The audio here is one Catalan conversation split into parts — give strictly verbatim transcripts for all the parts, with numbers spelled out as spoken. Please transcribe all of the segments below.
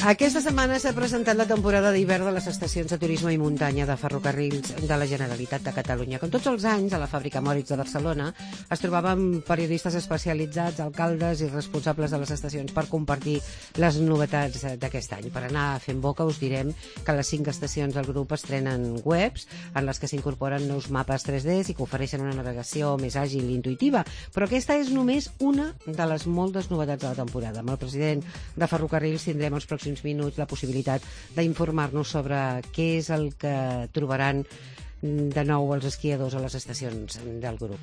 Aquesta setmana s'ha presentat la temporada d'hivern de les estacions de turisme i muntanya de ferrocarrils de la Generalitat de Catalunya. Com tots els anys, a la fàbrica Moritz de Barcelona es trobaven periodistes especialitzats, alcaldes i responsables de les estacions per compartir les novetats d'aquest any. Per anar fent boca us direm que les cinc estacions del grup estrenen webs en les que s'incorporen nous mapes tres D i que ofereixen una navegació més àgil i intuïtiva. Però aquesta és només una de les moltes novetats de la temporada. Amb el president de Ferrocarrils tindrem els pròxims minuts la possibilitat d'informar-nos sobre què és el que trobaran de nou els esquiadors a les estacions del grup.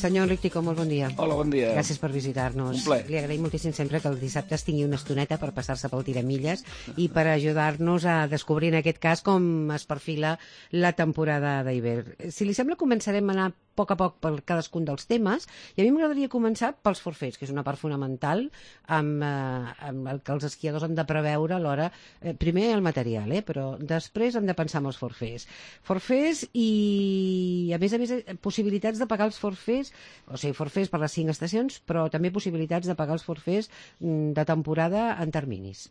Senyor Enric Ticó, molt bon dia. Hola, bon dia. Gràcies per visitar-nos. Un plaer. Li agraïm moltíssim sempre que el dissabte es tingui una estoneta per passar-se pel tiramilles i per ajudar-nos a descobrir, en aquest cas, com es perfila la temporada d'hivern. Si li sembla, començarem a anar a poc a poc per cadascun dels temes, i a mi m'agradaria començar pels forfets, que és una part fonamental amb, eh, amb el que els esquiadors han de preveure a l'hora, eh, primer el material, eh, però després hem de pensar en els forfets. Forfets i, a més a més, possibilitats de pagar els forfets, o sigui, forfets per les cinc estacions, però també possibilitats de pagar els forfets de temporada en terminis.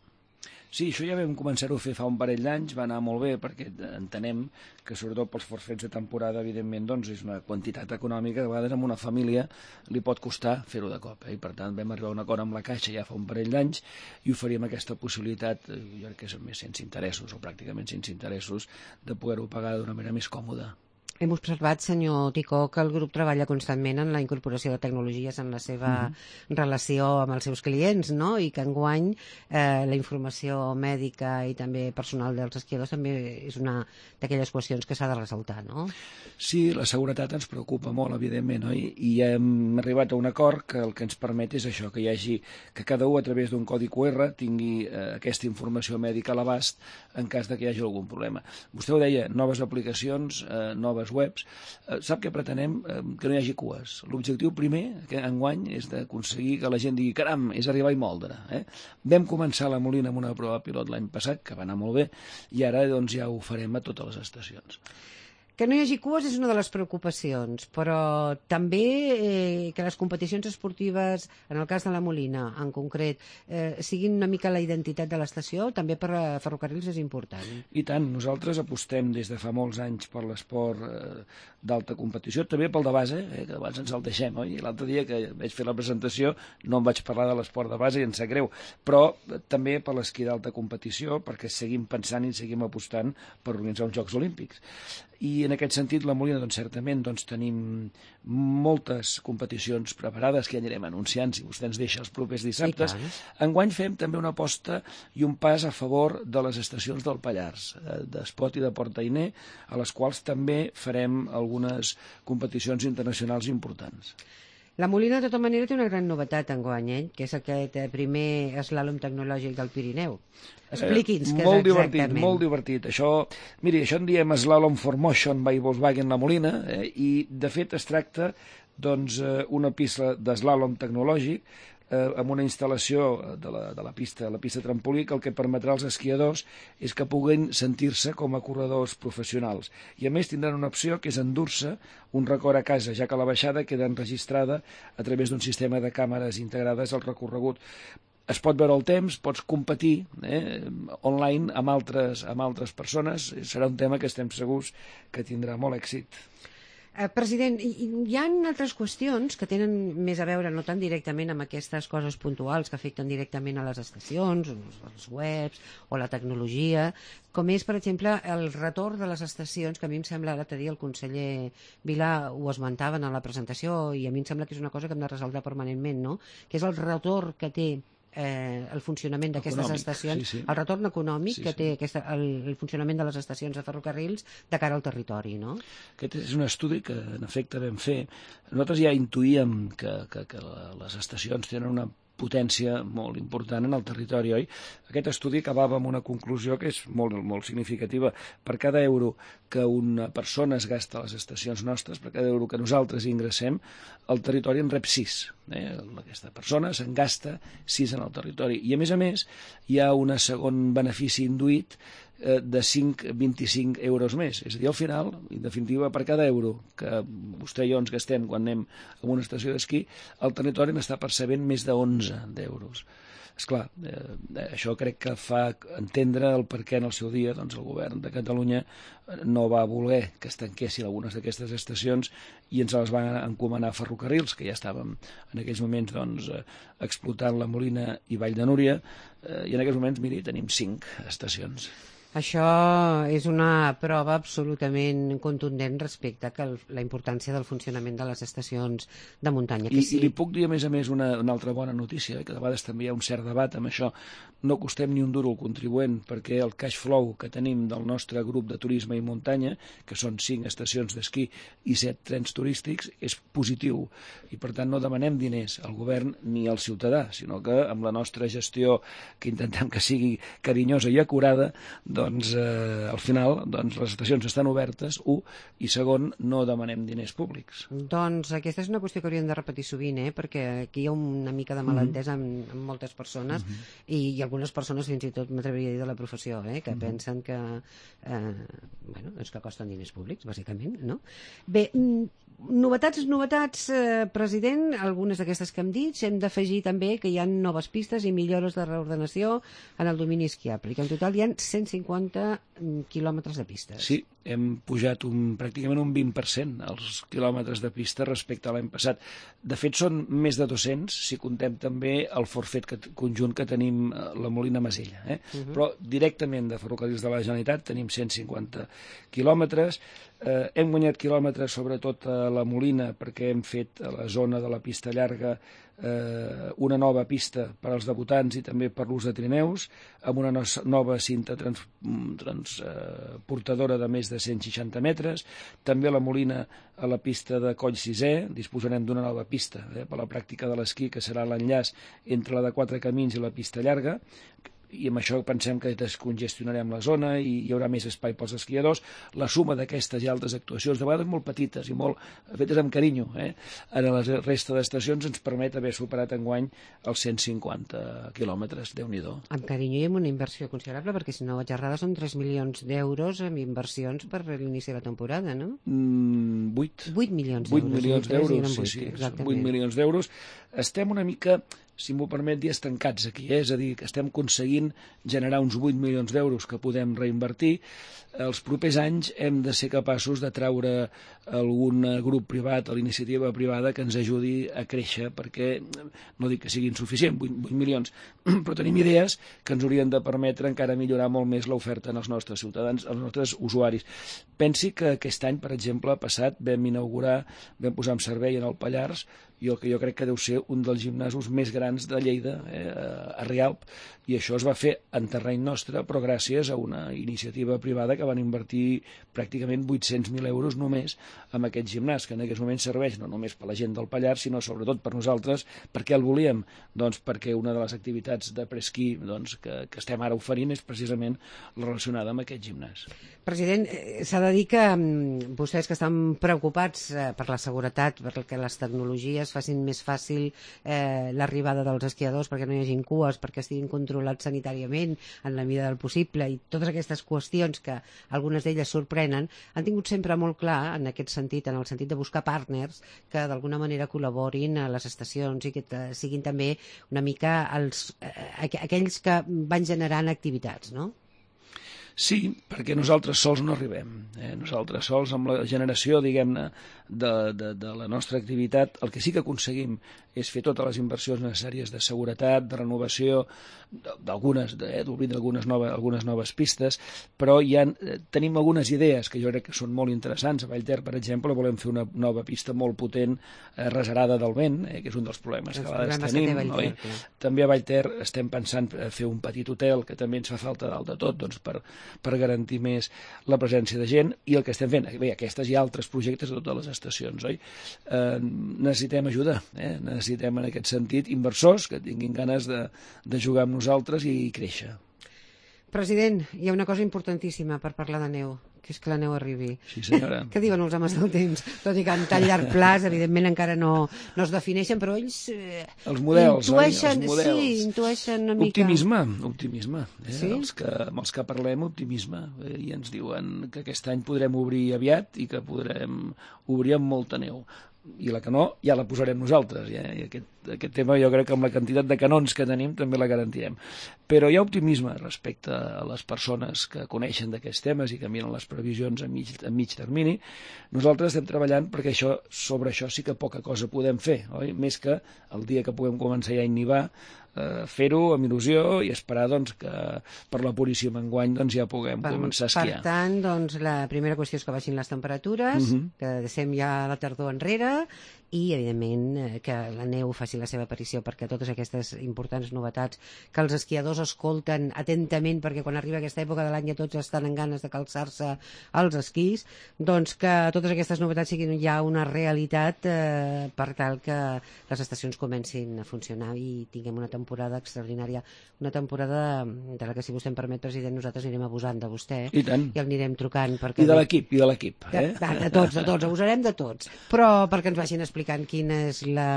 Sí, això ja vam començar-ho a fer fa un parell d'anys, va anar molt bé perquè entenem que sobretot pels forfets de temporada, evidentment, doncs és una quantitat econòmica que a vegades a una família li pot costar fer-ho de cop, eh? I per tant vam arribar a un acord amb la Caixa ja fa un parell d'anys i oferíem aquesta possibilitat, jo crec que és més sense interessos o pràcticament sense interessos, de poder-ho pagar d'una manera més còmoda. Hem observat, senyor Ticó, que el grup treballa constantment en la incorporació de tecnologies en la seva mm-hmm. relació amb els seus clients, no? I que enguany eh, la informació mèdica i també personal dels esquiadors també és una d'aquelles qüestions que s'ha de ressaltar, no? Sí, la seguretat ens preocupa molt, evidentment, no? I, i hem arribat a un acord que el que ens permet és això, que hi hagi, que cada un a través d'un codi Q R tingui eh, aquesta informació mèdica a l'abast en cas de que hi hagi algun problema. Vostè ho deia, noves aplicacions, eh, noves webs. Eh, sap què pretenem? Eh, que no hi hagi cues. L'objectiu primer, que enguany, és d'aconseguir que la gent digui caram, és arribar i moldre. Eh? Vam començar a la Molina amb una prova pilot l'any passat, que va anar molt bé, i ara doncs, ja ho farem a totes les estacions. Que no hi hagi cues és una de les preocupacions, però també eh, que les competicions esportives, en el cas de la Molina en concret, eh, siguin una mica la identitat de l'estació, també per a Ferrocarrils és important. I tant, nosaltres apostem des de fa molts anys per l'esport eh, d'alta competició, també pel de base, eh, que abans ens el deixem, oi? L'altre dia que vaig fer la presentació no em vaig parlar de l'esport de base i em sap greu, però eh, també per l'esquí d'alta competició, perquè seguim pensant i seguim apostant per organitzar uns Jocs Olímpics. I en aquest sentit la Molina, doncs, certament doncs, tenim moltes competicions preparades que ja anirem anunciant si vostè ens deixa els propers dissabtes. Enguany fem també una aposta i un pas a favor de les estacions del Pallars, d'Espot i de Port-Ainé, a les quals també farem algunes competicions internacionals importants. La Molina, de tota manera, té una gran novetat enguany, eh? Que és aquest primer eslàlom tecnològic del Pirineu. Expliqui'ns què és molt divertit, exactament. Molt divertit. Això, miri, això en diem Slalom for Motion by Volkswagen La Molina, eh, i de fet es tracta doncs, una pista d'eslàlom tecnològic eh, amb una instal·lació de la, de la pista, la pista trampolí, que el que permetrà als esquiadors és que puguin sentir-se com a corredors professionals. I a més tindran una opció que és endur-se un record a casa, ja que la baixada queda enregistrada a través d'un sistema de càmeres integrades al recorregut. Es pot veure el temps, pots competir eh, online amb altres, amb altres persones. Serà un tema que estem segurs que tindrà molt èxit. Eh, president, hi, hi ha altres qüestions que tenen més a veure, no tan directament amb aquestes coses puntuals que afecten directament a les estacions, els webs o la tecnologia, com és, per exemple, el retorn de les estacions, que a mi em sembla, l'altre dia el conseller Vilà ho esmentaven en la presentació, i a mi em sembla que és una cosa que hem de resoldre permanentment, no? Que és el retorn que té Eh, el funcionament d'aquestes estacions, sí, sí. El retorn econòmic sí, que té sí. aquesta, el, el funcionament de les estacions de ferrocarrils de cara al territori, no? Aquest és un estudi que en efecte vam fer. Nosaltres ja intuïem que, que, que les estacions tenen una potència molt important en el territori, oi? Aquest estudi acabava amb una conclusió que és molt, molt significativa. Per cada euro que una persona es gasta a les estacions nostres, per cada euro que nosaltres ingressem, el territori en rep sis. Eh? Aquesta persona se'n gasta sis en el territori. I, a més a més, hi ha un segon benefici induït, de cinc a vint-i-cinc euros més. És a dir, al final, en definitiva, per cada euro que vostè i jo ens gastem quan anem a una estació d'esquí, el territori n'està percebent més de onze d'euros. Esclar, eh, això crec que fa entendre el per què en el seu dia doncs, el govern de Catalunya no va voler que es tanquessin algunes d'aquestes estacions i ens les van encomanar a Ferrocarrils, que ja estàvem en aquells moments doncs, explotant la Molina i Vall de Núria, eh, i en aquells moments, miri, tenim cinc estacions. Això és una prova absolutament contundent respecte a que el, la importància del funcionament de les estacions de muntanya. Que I, sí. I li puc dir, a més a més, una, una altra bona notícia, que de vegades també hi ha un cert debat amb això. No costem ni un duro al contribuent, perquè el cash flow que tenim del nostre grup de turisme i muntanya, que són cinc estacions d'esquí i set trens turístics, és positiu. I, per tant, no demanem diners al govern ni al ciutadà, sinó que amb la nostra gestió, que intentem que sigui carinyosa i acurada, doncs eh, al final doncs, les estacions estan obertes, un, i segon, no demanem diners públics. Doncs aquesta és una qüestió que hauríem de repetir sovint, eh? Perquè aquí hi ha una mica de malentès mm -hmm. amb, amb moltes persones, mm -hmm. i, i algunes persones fins i tot m'atreviria a dir de la professió, eh? Que mm -hmm. pensen que, eh, bueno, és que costen diners públics, bàsicament, no? Bé, novetats, novetats, eh, president, algunes d'aquestes que hem dit. Hem d'afegir també que hi ha noves pistes i millores de reordenació en el domini esquiable, i que en total hi ha cent cinquanta quilòmetres de pistes. Sí, hem pujat un, pràcticament un vint per cent els quilòmetres de pista respecte a l'any passat. De fet, són més de dos-cents, si contem també el forfet que, conjunt que tenim a la Molina Masella. Eh? Uh -huh. Però directament de Ferrocarrils de la Generalitat tenim cent cinquanta quilòmetres. Eh, hem guanyat quilòmetres sobretot a la Molina perquè hem fet a la zona de la pista llarga eh, una nova pista per als debutants i també per l'ús de trineus, amb una no nova cinta transportadora trans, eh, de més de cent seixanta metres. També a la Molina, a la pista de Coll Sisè, disposarem d'una nova pista eh, per a la pràctica de l'esquí, que serà l'enllaç entre la de Quatre Camins i la pista llarga, i amb això pensem que descongestionarem la zona i hi haurà més espai pels esquiadors. La suma d'aquestes i altres actuacions, de vegades molt petites i molt fetes amb carinyo, eh, en la resta d'estacions ens permet haver superat enguany els cent cinquanta quilòmetres, Déu-n'hi-do. Amb carinyo i amb una inversió considerable, perquè si no vaig errada són tres milions d'euros en inversions per l'inici de la temporada, no? Mm, vuit. vuit milions d'euros. vuit milions d'euros, sí, sí, vuit milions d'euros. Estem una mica, si m'ho permet dir, estancats aquí, eh? És a dir, que estem aconseguint generar uns vuit milions d'euros que podem reinvertir. Els propers anys hem de ser capaços de traure algun grup privat o l'iniciativa privada que ens ajudi a créixer, perquè no dic que sigui insuficient, vuit milions, però tenim idees que ens haurien de permetre encara millorar molt més l'oferta als nostres ciutadans, als nostres usuaris. Pensi que aquest any, per exemple, passat, vam inaugurar, vam posar en servei en el Pallars, i el que jo crec que deu ser un dels gimnasos més grans de Lleida, eh, a Rialp, i això es va fer en terreny nostre, però gràcies a una iniciativa privada que van invertir pràcticament vuit-cents mil euros només en aquest gimnàs, que en aquests moments serveix no només per la gent del Pallars, sinó sobretot per nosaltres. Per què el volíem? Doncs perquè una de les activitats de presquí doncs, que, que estem ara oferint és precisament relacionada amb aquest gimnàs. President, eh, s'ha de dir que um, vostès que estan preocupats eh, per la seguretat, perquè les tecnologies facin més fàcil eh, l'arribada dels esquiadors, perquè no hi hagin cues, perquè estiguin controlats sanitàriament en la mida del possible, i totes aquestes qüestions que algunes d'elles sorprenen, han tingut sempre molt clar en aquest sentit, en el sentit de buscar partners que d'alguna manera col·laborin a les estacions i que siguin també una mica els, eh, aquells que van generant activitats, no? Sí, perquè nosaltres sols no arribem. Eh? Nosaltres sols, amb la generació, diguem-ne, de, de, de la nostra activitat, el que sí que aconseguim és fer totes les inversions necessàries de seguretat, de renovació, d'algunes, d'obrir eh, algunes, noves, algunes noves pistes, però ja eh, tenim algunes idees que jo crec que són molt interessants. A Vallter, per exemple, volem fer una nova pista molt potent, eh, reserada del vent, eh, que és un dels problemes que a vegades tenim. Vallter, no? També a Vallter estem pensant fer un petit hotel, que també ens fa falta dalt de tot, doncs, per, per garantir més la presència de gent, i el que estem fent, bé, aquestes i altres projectes de totes les estacions, oi? Eh, necessitem ajuda, eh? necessitem en aquest sentit inversors que tinguin ganes de, de jugar amb nosaltres i créixer. President, hi ha una cosa importantíssima per parlar de neu, que és que la neu arribi. Sí, senyora. Què diuen els homes del temps? Tot i que en tan llarg plaç, evidentment, encara no, no es defineixen, però ells eh, els models, intueixen, oi? Els models. sí, intueixen una mica... Optimisme, optimisme. Eh? Sí? Els que, amb els que parlem, optimisme. Eh? I ens diuen que aquest any podrem obrir aviat i que podrem obrir amb molta neu. I la que no, ja la posarem nosaltres. Ja? I aquest, aquest tema jo crec que amb la quantitat de canons que tenim també la garantirem. Però hi ha optimisme respecte a les persones que coneixen d'aquests temes i que miren les previsions a mig, a mig termini. Nosaltres estem treballant perquè això, sobre això sí que poca cosa podem fer, oi? Més que el dia que puguem començar ja a innivar, eh, fer-ho amb il·lusió i esperar doncs, que per la puríssima enguany doncs, ja puguem per, començar a esquiar. Per tant, doncs, la primera qüestió és que baixin les temperatures, uh -huh. que deixem ja la tardor enrere i, evidentment, que la neu faci la seva aparició, perquè totes aquestes importants novetats que els esquiadors escolten atentament, perquè quan arriba aquesta època de l'any ja tots estan en ganes de calçar-se als esquís, doncs que totes aquestes novetats siguin ja una realitat eh, per tal que les estacions comencin a funcionar i tinguem una temporada extraordinària, una temporada de la que, si vostè em permet, president, nosaltres anirem abusant de vostè. I tant. I el anirem trucant. Perquè I de l'equip, i de l'equip. Eh? De, de tots, de tots, abusarem de tots. Però perquè ens vagin explicant quina és la,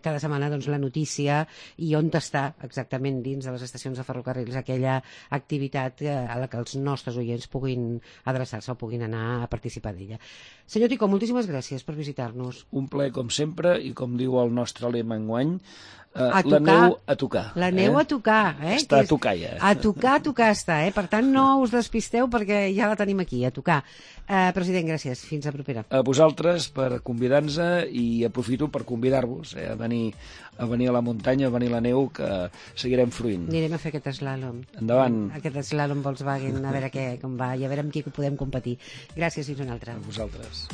cada setmana doncs, la notícia i on està exactament dins de les estacions de ferrocarrils aquella activitat a la que els nostres oients puguin adreçar-se o puguin anar a participar d'ella. Senyor Ticó, moltíssimes gràcies per visitar-nos. Un plaer com sempre i com diu el nostre lema enguany, Uh, a la tocar, neu a tocar. La neu eh? a tocar. Eh? Està a tocar ja. A tocar, a tocar està. Eh? Per tant, no us despisteu perquè ja la tenim aquí, a tocar. Uh, president, gràcies. Fins a propera. A vosaltres per convidar-nos i aprofito per convidar-vos eh, a, venir, a venir a la muntanya, a venir a la neu, que seguirem fruint. Anirem a fer aquest slalom. Endavant. Aquest slalom Volkswagen, a veure què, com va i a veure amb qui podem competir. Gràcies, fins una altra. A vosaltres.